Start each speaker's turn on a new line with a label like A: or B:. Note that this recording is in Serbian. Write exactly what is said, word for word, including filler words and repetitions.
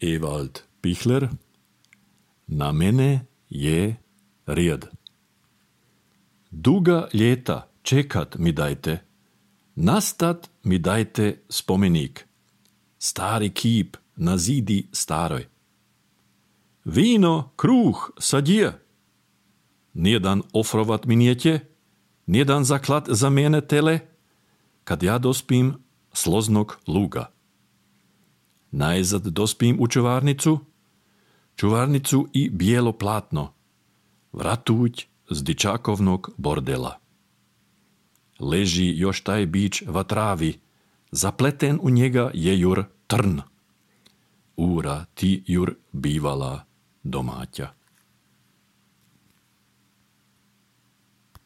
A: Ewald Pichler. Na mene je rijed. Duga ljeta čekat mi dajte, nastat mi dajte spomenik, stari kip na zidi staroj. Vino, kruh, sadje, nijedan ofrovat mi nijetje, nijedan zaklad za mene tele, kad ja dospim s loznog luga. Najzad dospim u čuvarnicu, čuvarnicu i bijelo platno, vratuć z dičakovnog bordela. Leži još taj bić va travi, zapleten u njega je jur trn. Ura ti jur bivala domaća.